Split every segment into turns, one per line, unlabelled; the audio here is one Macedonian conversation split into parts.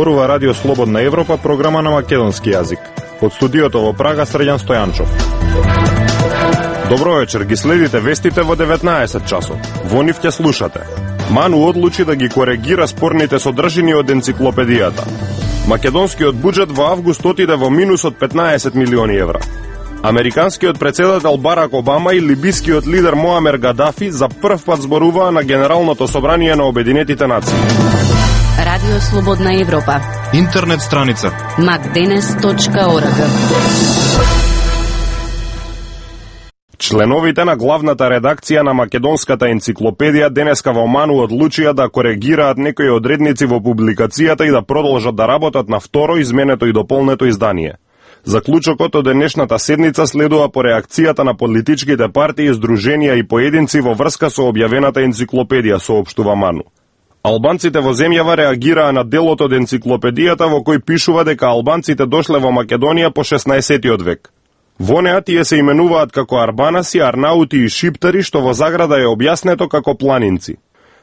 зборува Радио Слободна Европа, програма на македонски јазик. Од студиото во Прага Среѓан Стојанчов. Добро вечер, ги следите вестите во 19 часот. Во нив ќе слушате. Ману одлучи да ги коригира спорните содржини од енциклопедијата. Македонскиот буџет во август отиде во минус од 15 милиони евра. Американскиот председател Барак Обама и либискиот лидер Моамер Гадафи за прв пат зборуваа на Генералното собрание на Обединетите нации.
Радио Слободна Европа.
Интернет страница
macdenes.org.
Членовите на главната редакција на македонската енциклопедија денеска во Ману одлучија да коригираат некои одредници во публикацијата и да продолжат да работат на второ изменето и дополнето издание. Заклучокот од денешната седница следува по реакцијата на политичките партии, здруженија и поединци во врска со објавената енциклопедија, соопштува Ману. Албанците во земјава реагираа на делот од енциклопедијата во кој пишува дека албанците дошле во Македонија по 16-тиот век. Во неа тие се именуваат како арбанаси, арнаути и шиптари, што во заграда е објаснето како планинци.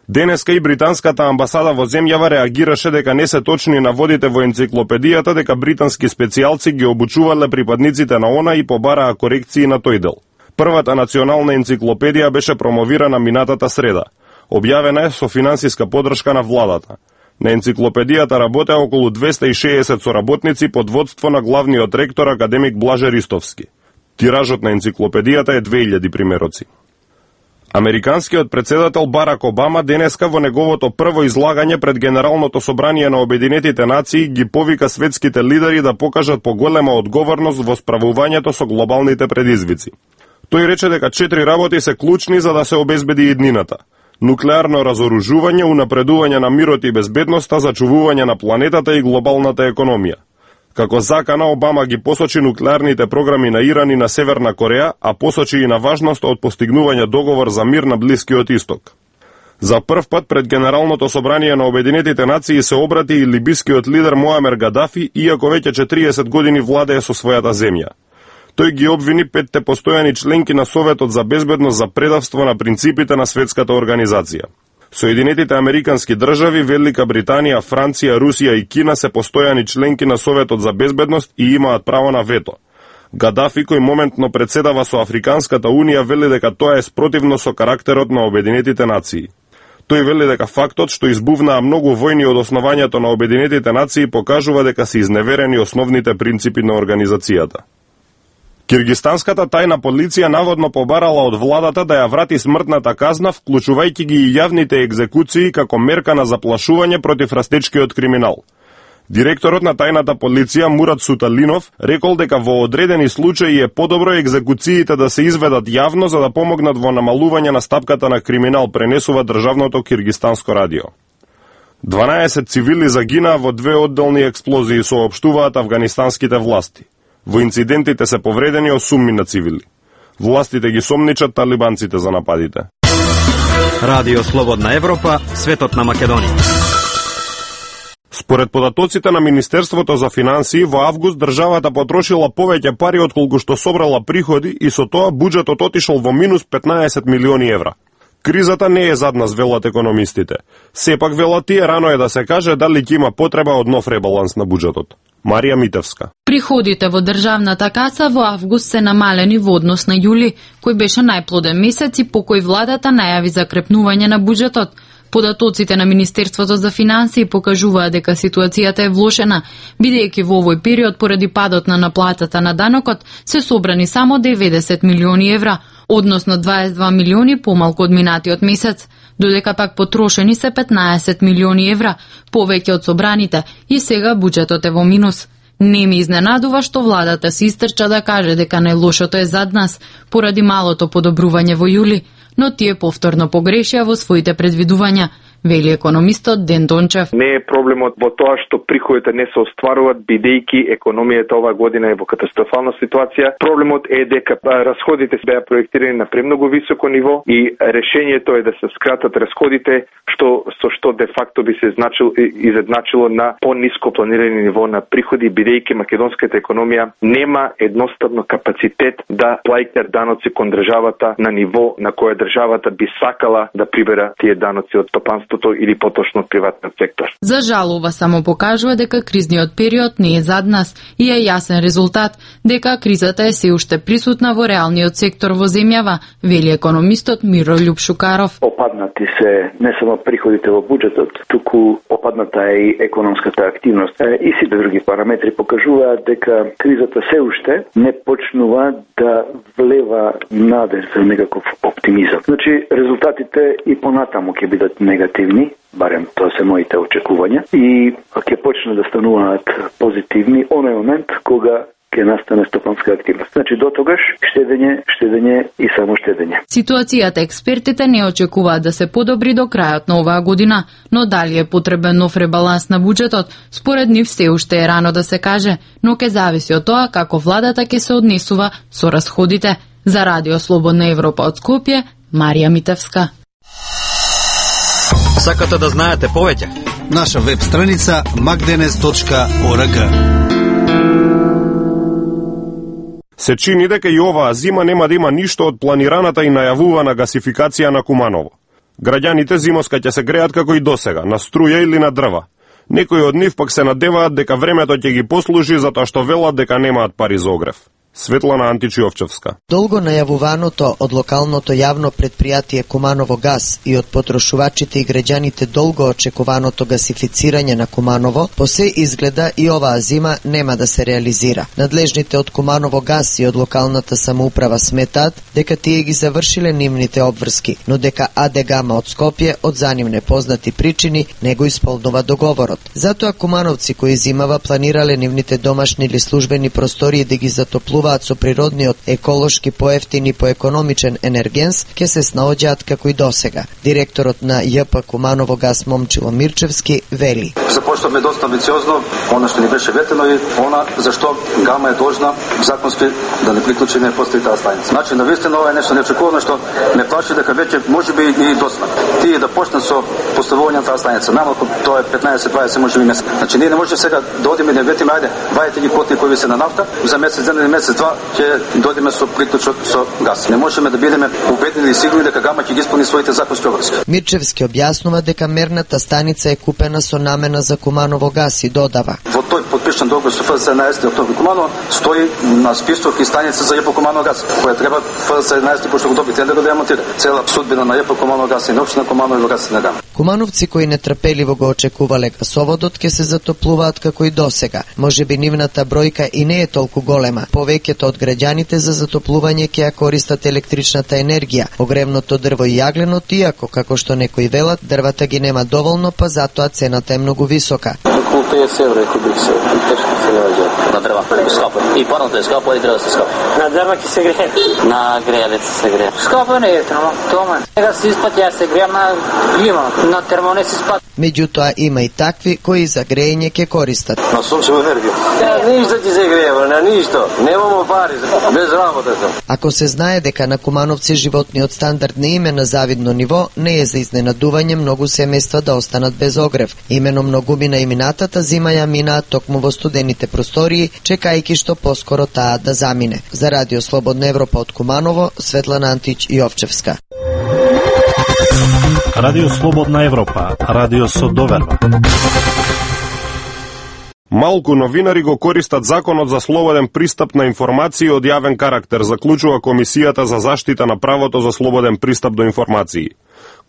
Денеска и британската амбасада во земјава реагираше дека не се точни наводите во енциклопедијата, дека британски специјалци ги обучувале припадниците на ОНА и побараа корекции на тој дел. Првата национална енциклопедија беше промовирана минатата среда. Објавена е со финансиска подршка на владата. На енциклопедијата работеа околу 260 соработници под водство на главниот ректор академик Блаже Ристовски. Тиражот на енциклопедијата е 2000 примероци. Американскиот председател Барак Обама денеска во неговото прво излагање пред Генералното собрание на Обединетите нации ги повика светските лидери да покажат поголема одговорност во справувањето со глобалните предизвици. Тој рече дека 4 работи се клучни за да се обезбеди иднината: нуклеарно разоружување, унапредување на мирот и безбедноста, зачувување на планетата и глобалната економија. Како закана, Обама ги посочи нуклеарните програми на Иран и на Северна Кореја, а посочи и на важноста од постигнување договор за мир на Блискиот Исток. За прв пат пред Генералното собрание на Обединетите нации се обрати и либискиот лидер Моамер Гадафи, иако веќе 40 години владее со својата земја. Тој ги обвини 5 постојани членки на Советот за безбедност за предавство на принципите на светската организација. Соединетите американски држави, Велика Британија, Франција, Русија и Кина се постојани членки на Советот за безбедност и имаат право на вето. Гадафи, кој моментно председава со Африканската унија, вели дека тоа е спротивно со карактерот на Обединетите нации. Тој вели дека фактот што избувнаа многу војни од основањето на Обединетите нации покажува дека се изневерени основните принципи на организацијата. Киргистанската тајна полиција наводно побарала од владата да ја врати смртната казна, вклучувајќи ги и јавните екзекуции како мерка на заплашување против растечкиот криминал. Директорот на тајната полиција Мурат Суталинов рекол дека во одредени случаи е подобро екзекуциите да се изведат јавно за да помогнат во намалување на стапката на криминал, пренесува државното киргистанско радио. 12 цивили загинаа во 2 одделни експлозии, соопштуваат афганистанските власти. Во инцидентите се повредени 8 на цивили. Властите ги сомничат талибанците за нападите.
Радио Слободна Европа, светот на Македонија.
Според податоците на Министерството за финансии, во август државата потрошила повеќе пари отколку што собрала приходи и со тоа буџетот отишол во минус 15 милиони евра. Кризата не е зад нас, велат економистите. Сепак, велат тие, рано е да се каже дали ќе има потреба од нов ребаланс на буџетот. Марија Митевска.
Приходите во државната каса во август се намалени во однос на јули, кој беше најплоден месец и по кој владата најави закрепнување на буџетот. Податоците на Министерството за финансии покажуваат дека ситуацијата е влошена, бидејќи во овој период поради падот на наплатата на данокот се собрани само 90 милиони евра, односно 22 милиони помалку од минатиот месец, додека пак потрошени се 15 милиони евра, повеќе од собраните, и сега буџетот е во минус. Не ми изненадува што владата се истрча да каже дека најлошото е зад нас, поради малото подобрување во јули, но тие повторно погрешија во своите предвидувања, вели економистот Ден Дончев.
Не е проблемот во тоа што приходите не се остваруваат, бидејќи економијата оваа година е во катастрофална ситуација. Проблемот е дека расходите се беа проектирани на премногу високо ниво и решението е да се скратат расходите, што со што де факто би се изедначило на пониско планирани ниво на приходи, бидејќи македонската економија нема едноставно капацитет да плаќа даноци кон државата на ниво на кое државата би сакала да прибера тие даноци од стопанството или поточно од приватниот сектор.
За жал, ова само покажува дека кризниот период не е зад нас и е јасен резултат дека кризата е се уште присутна во реалниот сектор во земјава, вели економистот Мирољуб Шукаров.
Опаднати се не само приходите во буџетот, туку опадната е и економската активност. И сите други параметри покажуваат дека кризата се уште не почнува да влева надеж за некаков оптимизам. Значи, резултатите и понатаму ќе бидат негативни, барем тоа се моите очекувања, и ќе почнат да стануваат позитивни оној момент кога ќе настане стопанска активност. Значи, до тогаш штедење и само штедење.
Ситуацијата експертите не очекуваат да се подобри до крајот на оваа година, но дали е потребен нов ребаланс на буџетот, според нив се уште е рано да се каже, но ќе зависи од тоа како владата ќе се однесува со расходите. За Радио Слободна Европа од Скопје, Марија Митевска.
Сакате да знаете повеќе?
Наша веб страница magdenes.org.
Се чини дека и оваа зима нема да има ништо од планираната и најавувана гасификација на Куманово. Граѓаните зимоска ќе се греат како и досега, на струја или на дрва. Некои од нив пак се надеваат дека времето ќе ги послужи затоа што велат дека немаат пари за огрев. Светлана Античиовчевска.
Долго најавуваното од локалното јавно предпријатие Куманово газ и од потрошувачите и граѓаните долго очекуваното гасифицирање на Куманово, по се изгледа и оваа зима нема да се реализира. Надлежните од Куманово газ и од локалната самоуправа сметаат дека тие ги завршиле нивните обврски, но дека АД Гама од Скопје од за нив непознати причини не го исполнува договорот. Затоа кумановци кои зимава планирале нивните домашни или службени простории да ги затоплуваат со природниот, еколошки, поевтин и поекономичен енергенс, ќе се снаоѓаат како и досега. Директорот на ЈП Куманово газ Момчило Мирчевски вели:
Започнавме доста амбициозно, она што ни беше ветено и она зашто Гама е должна законски да не приклучи не постои таа станица. Значи, навистина ова е нешто неочекувано што ме плаши дека веќе можеби и досна. Тие да почнат со поставување на таа станица. Намалку тоа е 15-20 можеби месец. Значи, ние не можеме сега да одиме и да ветиме, ајде, вајте ги котли кои се на нафта, за месец ден или месец два ќе дојдеме со приклучок со газ. Не можеме да бидеме убедени и сигурни дека Гама ќе ги исполни своите законски обврски.
Мирчевски објаснува дека мерната станица е купена со намена за Куманово газ и додава:
Во тој подпишан договор со ФЗС 11 октомври Куманово стои на список и станица за ЈП Куманово газ, која треба ФЗС 11 пошто го доби тендер да демонтира. Цела судбина на ЈП Куманово газ и на општина Куманово и газ на Гама.
Кумановци кои нетрпеливо го очекувале гасоводот ќе се затоплуваат како и досега. Можеби нивната бројка и не е толку голема. Повеќето од граѓаните за затоплување ќе ја користат електричната енергија, огревното дрво и јагленот, иако, како што некои велат, дрвата ги нема доволно, па затоа цената е многу висока.
Околу 50 евро кубик се, тешко се наоѓа. На дрва, скапо. И парното е скапо, и дрва се скапо. На дрва ќе се грее. На грејалец се грее. Скапо не е ефтино, тоа е. Сега се испати, ја се греам на клима, на термо не се испати.
Меѓутоа има и такви кои за грејење ќе користат.
На сончева енергија. Ништо ќе се грее, на ништо. Немамо пари, без работа сум.
Ако се знае дека на Кумановци животниот стандард не им е на завидно ниво, не е за изненадување многу семејства да останат без огрев. Имено многумина и минатата зима ја минаат токму во студените простории, чекајќи што поскоро таа да замине. За Радио Слободна Европа од Куманово, Светлана Антич Јовчевска.
Радио Слободна Европа, радио со доверба.
Малку новинари го користат законот за слободен пристап на информации од јавен карактер, заклучува Комисијата за заштита на правото за слободен пристап до информации.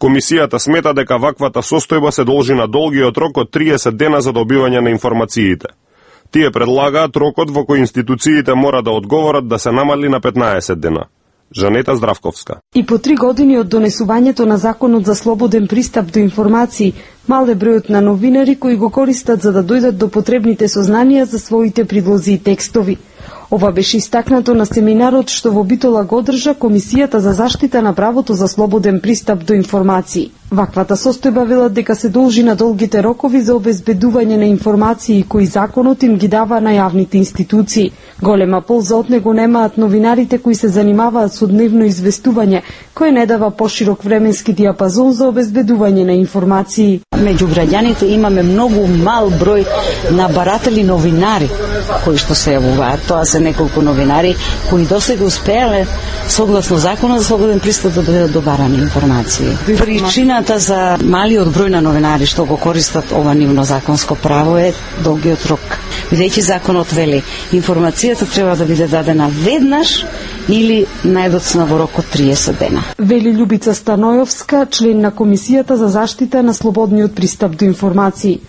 Комисијата смета дека ваквата состојба се должи на долгиот рок од 30 дена за добивање на информациите. Тие предлагаат рокот во кој институциите мора да одговорат да се намали на 15 дена. Жанета Здравковска.
И по 3 години од донесувањето на Законот за слободен пристап до информации, мал е бројот на новинари кои го користат за да дојдат до потребните сознанија за своите предлози и текстови. Ова беше истакнато на семинарот што во Битола го одржа Комисијата за заштита на правото за слободен пристап до информации. Ваквата состојба велат дека се должи на долгите рокови за обезбедување на информации кои законот им ги дава на јавните институции. Голема полза од него немаат новинарите кои се занимаваат со дневно известување, кој не дава поширок временски диапазон за обезбедување на информации.
Меѓу граѓаните имаме многу мал број на баратели новинари кои што се јавуваат. Тоа се неколку новинари кои досега успеале согласно законот за слободен пристап да бидат добарани информации. Причината за малиот број на новинари што го користат ова нивно законско право е долгиот рок. Бидејќи законот вели информацијата треба да биде дадена веднаш или најдоцна во рок од 30 дена.
Вели Љубица Станојовска, член на Комисијата за заштита на слободниот пристап до информации.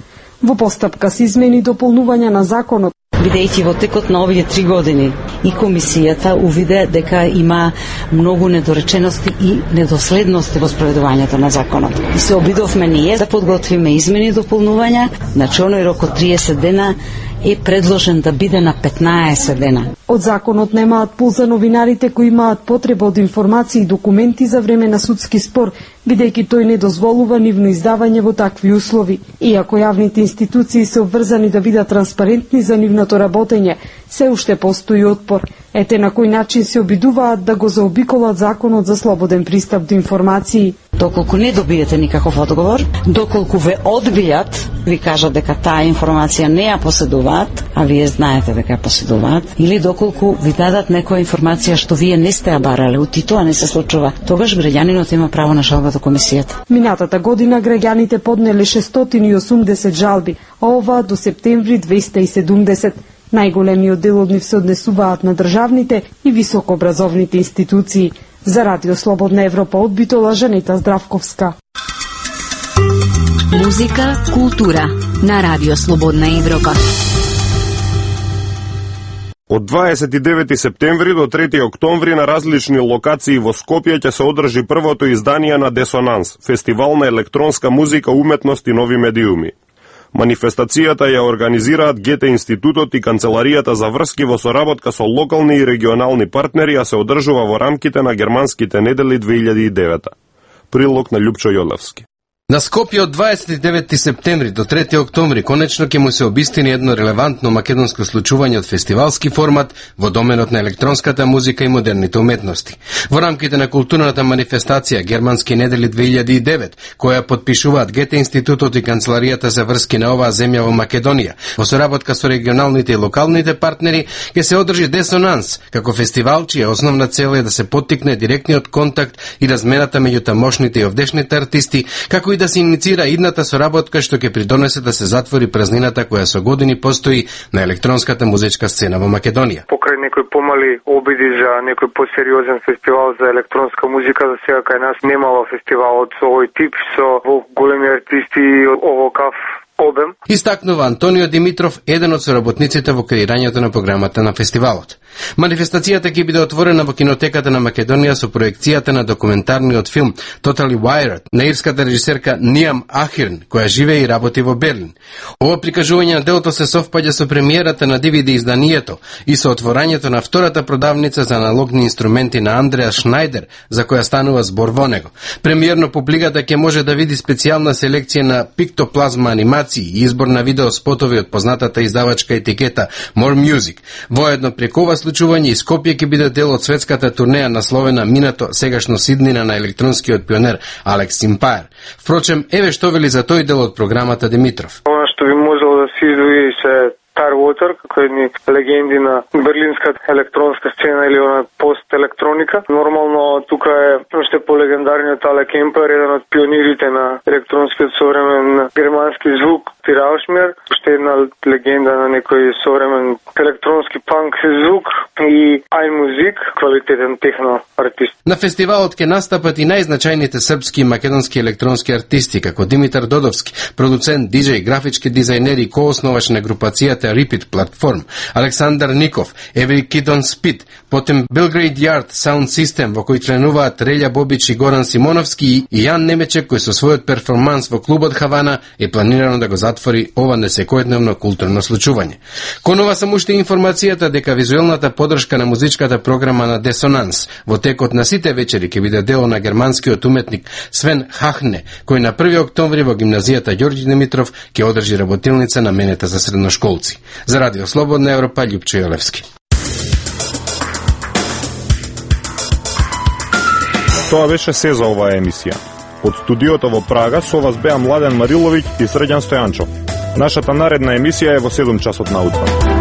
Во постапка се измени дополнување на законот,
бидејќи во текот на овие 3 години и комисијата увиде дека има многу недоречености и недоследности во спроведувањето на законот. И се обидовме ние да подготвиме измени и дополнувања, значи оној рок од 30 дена е предложен да биде на 15 дена.
Од законот немаат полза новинарите кои имаат потреба од информации и документи за време на судски спор, бидејќи тој не дозволува нивно издавање во такви услови. Иако јавните институции се обврзани да бидат транспарентни за нивното работење, се уште постои отпор. Ете на кој начин се обидуваат да го заобиколат законот за слободен пристап до информации.
Доколку не добиете никаков одговор, доколку ве одбијат, ви кажат дека таа информација не ја поседуваат, а вие знаете дека ја поседуваат, или доколку ви дадат некоја информација што вие не сте ја барале, и тоа не се случува, тогаш граѓанинот има право на жалба до комисијата.
Минатата година граѓаните поднеле 680 жалби, а ова до септември 270. Најголемиот дел од нив се однесуваат на државните и високообразовните институции. За Радио Слободна Европа од Битола, Жанета Здравковска.
Музика, култура на Радио Слободна Европа.
Од 29 септември до 3 октомври на различни локации во Скопје ќе се одржи првото издание на Десонанс, фестивал на електронска музика, уметност и нови медиуми. Манифестацијата ја организираат ГТ Институтот и Канцеларијата за врски во соработка со локални и регионални партнери, а се одржува во рамките на Германските недели 2009. Прилог на Љупчо Јолевски.
На Скопје од 29 септември до 3 октомври конечно ќе му се обистини едно релевантно македонско случување од фестивалски формат во доменот на електронската музика и модерните уметности. Во рамките на културната манифестација Германски недели 2009, која подпишуваат ГТ Институтот и Канцеларијата за врски на оваа земја во Македонија, во соработка со регионалните и локалните партнери, ќе се одржи Десонанс, како фестивал чија основна цел е да се поттикне директниот контакт и размената меѓу тамошните и овдешните артисти, како и да се иницира идната соработка што ќе придонесе да се затвори празнината која со години постои на електронската музичка сцена во Македонија.
Покрај некои помали обиди за некој посериозен фестивал за електронска музика, за сега кај нас немало фестивал од овој тип со големи артисти овокав обем.
Истакнува Антонио Димитров, еден од соработниците во креирањето на програмата на фестивалот. Манифестацијата ќе биде отворена во кинотеката на Македонија со проекцијата на документарниот филм Totally Wired на ирската режисерка Ниам Ахирн, која живее и работи во Берлин. Ова прикажување на делото се совпаѓа со премиерата на DVD изданието и со отворањето на втората продавница за аналогни инструменти на Андреа Шнајдер, за која станува збор во него. Премиерно публиката ќе може да види специјална селекција на пиктоплазма анимации и избор на видео спотови од познатата издавачка етикета More Music. Воедно преку ова случување и Скопје ќе биде дел од светската турнеја насловена Минато, сегашно Сиднина на електронскиот пионер Алекс Симпаер. Впрочем, еве што вели за тој дел од програмата Димитров.
Она што би можело да се издвои се Starwater, како едни легенди на берлинската електронска сцена или на пост-електроника. Нормално тука е уште по-легендарниот Але Кемпер, еден од пионирите на електронскиот современ германски звук, Тираушмер, уште една легенда на некој современ електронски панк звук и iMusic, квалитетен техно артист.
На фестивалот ќе настапат и најзначајните српски и македонски електронски артисти, како Димитар Додовски, продуцент, диџеј, графички дизајнер и коосновач на групацијата Repeat Platform, Александар Ников, Every Kid on Speed, Потем Belgrade Yard Sound System, во кој членуваат Релја Бобич и Горан Симоновски, и Јан Немечек, кој со својот перформанс во клубот Хавана е планирано да го затвори ова несекојдневно културно случување. Кон ова само уште информацијата дека визуелната подршка на музичката програма на Десонанс во текот на сите вечери ќе биде дело на германскиот уметник Свен Хахне, кој на 1 октомври во гимназијата Ѓорѓи Димитров ќе одржи работилница наменета за средношколци. За Радио Слободна Европа, Љупчо Јолевски.
Тоа беше се за оваа емисија. Од студиото во Прага со вас беа Младен Мариловиќ и Срđan Стојанчов. Нашата наредна емисија е во 7 часот наутро.